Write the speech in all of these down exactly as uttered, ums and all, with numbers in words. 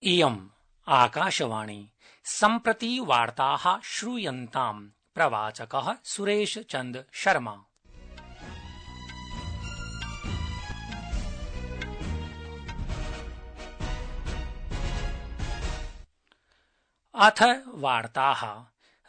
इयम् आकाशवाणी सम्प्रति वार्ताः श्रूयन्ताम्। प्रवाचकः सुरेश चन्द्र शर्मा। अथ वार्ताः।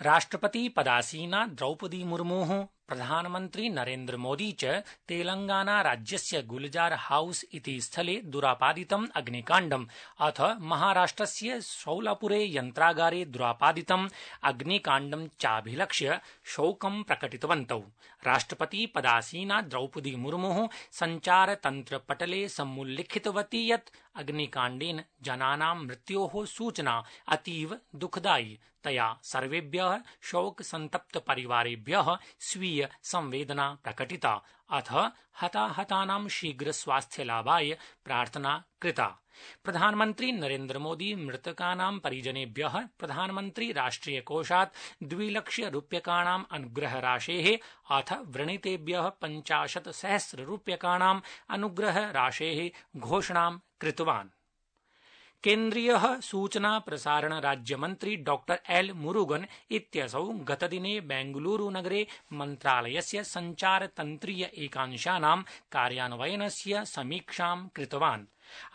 राष्ट्रपति पदासीना द्रौपदी मुर्मुः प्रधानमन्त्री नरेन्द्र मोदी च तेलंगाना राज्यस्य गुलजार हाउस इति स्थले दुरापादितम् अग्निकाण्डम् अथ महाराष्ट्रस्य शौलापुरे यन्त्रागारे दुरापादितम् अग्निकाण्डं चाभिलक्ष्य शोकं प्रकटितवन्तौ। राष्ट्रपति पदासीना द्रौपदी मुर्मुः सञ्चारतन्त्रपटले समुल्लिखितवती यत् अग्निकाण्डेन जनानां मृत्योः सूचना अतीव दुःखदायी। तया सर्वेभ्यः शोकसन्तप्त परिवारेभ्यः स्वीय संवेदना प्रकटिता अथ हताहतानां शीघ्र स्वास्थ्यलाभाय प्रार्थना कृता। प्रधानमन्त्री नरेन्द्र मोदी मृतकानां परिजनेभ्यः प्रधानमन्त्री राष्ट्रियकोषात् द्विलक्षरूप्यकाणाम् अनुग्रहराशेः अथ व्रणितेभ्यः पञ्चाशत् सहस्ररूप्यकाणाम् अनुग्रहराशेः घोषणां कृतवान्। केन्द्रीयः सूचना प्रसारण राज्यमन्त्री डॉक्टर एल मुरुगन इत्यसौ गतदिने बेंगलुरुनगरे मन्त्रालयस्य सञ्चारतन्त्रीय एकांशानां कार्यान्वयनस्य समीक्षां कृतवान्।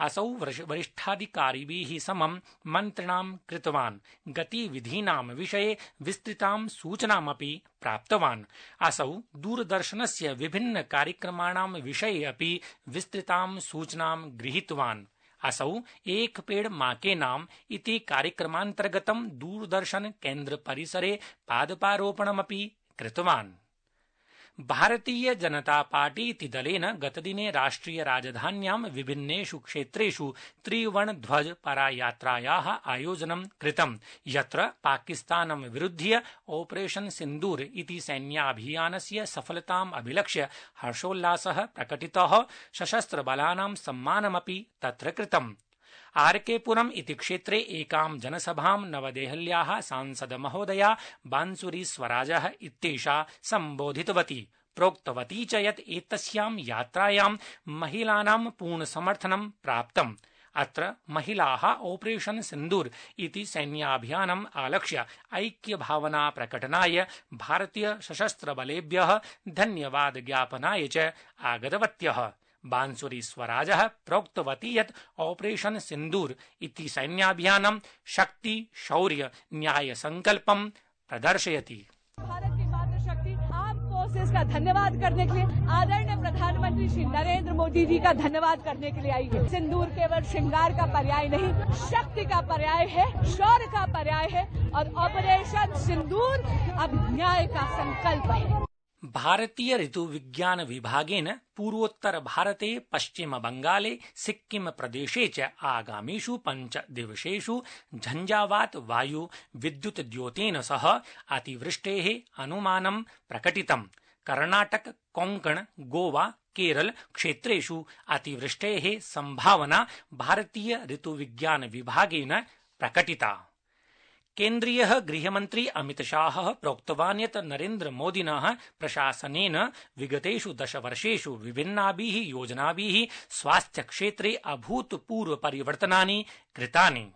असौ वरिष्ठाधिकारिभिः समं मन्त्रणां कृतवान्। गतिविधीनां विषये विस्तृतां सूचनामपि प्राप्तवान्। असौ दूरदर्शनस्य विभिन्न कार्यक्रमाणां विषये अपि विस्तृतां सूचनां गृहीतवान्। असौ एक पेड़ मां के नाम इति कार्यक्रमान्तर्गतं दूरदर्शन केन्द्र परिसरे पादपारोपणमपि कृतवान्। भारतीय जनता पार्टी इति दलेन गतदिने राष्ट्रिय राजधान्यां विभिन्नेषु क्षेत्रेषु त्रिवर्णध्वज परायात्रायाः आयोजनं कृतं, यत्र पाकिस्तानं विरुध्य ऑपरेशन सिन्दूर इति सैन्याभियानस्य सफलताम् अभिलक्ष्य हर्षोल्लासः प्रकटितः। सशस्त्रबलानां सम्मानमपि तत्र कृतम्। आर के पुरम इति क्षेत्रे एकां जनसभां नवदेहल्याः सांसद महोदया बांसुरी स्वराजः इत्येषा सम्बोधितवती। प्रोक्तवती च यत् एतस्यां यात्रायां महिलानां पूर्णसमर्थनं प्राप्तम्। अत्र महिलाः ऑपरेशन सिन्दूर इति सैन्याभियानम् आलक्ष्य ऐक्यभावना प्रकटनाय भारतीय सशस्त्रबलेभ्यः धन्यवाद ज्ञापनाय च आगतवत्यः। बांसुरी स्वराजः प्रोक्तवती यत् ऑपरेशन सिन्दूर इति सैन्याभियानं शक्ति शौर्य न्याय संकल्पं प्रदर्शयति। भारत की मातृशक्ति आर्म फोर्सेस का धन्यवाद करने के लिए आदरणीय प्रधानमंत्री श्री नरेंद्र मोदी जी का धन्यवाद करने के लिए आई है। सिंदूर केवल श्रृंगार का पर्याय नहीं, शक्ति का पर्याय है, शौर्य का पर्याय है और ऑपरेशन सिंदूर अब न्याय का संकल्प है। भारतीय ऋतुविज्ञान विभागेन पूर्वोत्तर भारते पश्चिम बंगाले सिक्किम प्रदेशे च आगामीषु पंच दिवसेषु झंझावात वायु विद्युत द्योतेन सह अतिवृष्टेः अनुमानं प्रकटितम्। कर्णाटक कोंकण गोवा केरल क्षेत्रेषु अतिवृष्टेः संभावना भारतीय ऋतुविज्ञान विभागेन प्रकटिता। केन्द्रीयः गृहमन्त्री अमितशाहः प्रोक्तवान् यत् नरेन्द्र मोदिनः प्रशासनेन विगतेषु दशवर्षेषु विभिन्नाभिः योजनाभिः स्वास्थ्यक्षेत्रे अभूतपूर्व परिवर्तनानि कृतानि।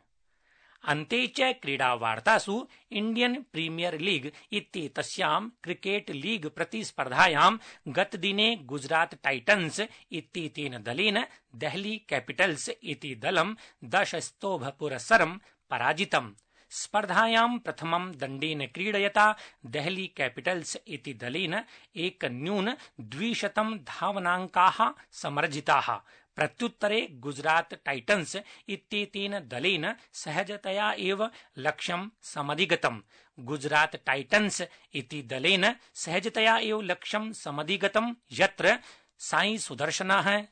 अन्ते च क्रीडावार्तासु इण्डियन प्रीमियर लीग इत्येतस्यां क्रिकेट लीग प्रतिस्पर्धायां गतदिने गुजरात टाइटन्स इत्येतेन दलेन देहली कैपिटल्स इति दलं दशस्तोभपुरस्सरं पराजितम्। स्पर्धायां प्रथमं दण्डेन क्रीडयता देहली कैपिटल्स इति दलेन एकन्यून द्विशतं धावनाङ्काः समर्जिताः। प्रत्युत्तरे गुजरात टाइटन्स इत्येतेन दलेन सहजतया एव लक्ष्यं समधिगतम्। गुजरात टाइटन्स इति दलेन सहजतया एव लक्ष्यं समधिगतम्, यत्र साई सुदर्शनः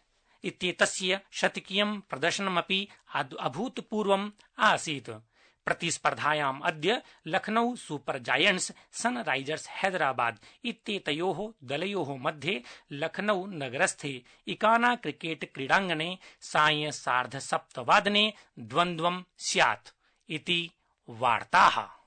इत्येतस्य शतकीयं प्रदर्शनमपि अभूतपूर्वम् आसीत्। प्रतिस्पर्धायाम् अद्य Lucknow super giants Sunrisers Hyderabad इत्येतयोः दलयोः मध्ये लखनऊ नगरस्थे इकाना क्रिकेट क्रीडाङ्गणे सायं सार्धसप्तवादने द्वन्द्वं स्यात् इति वार्ताः।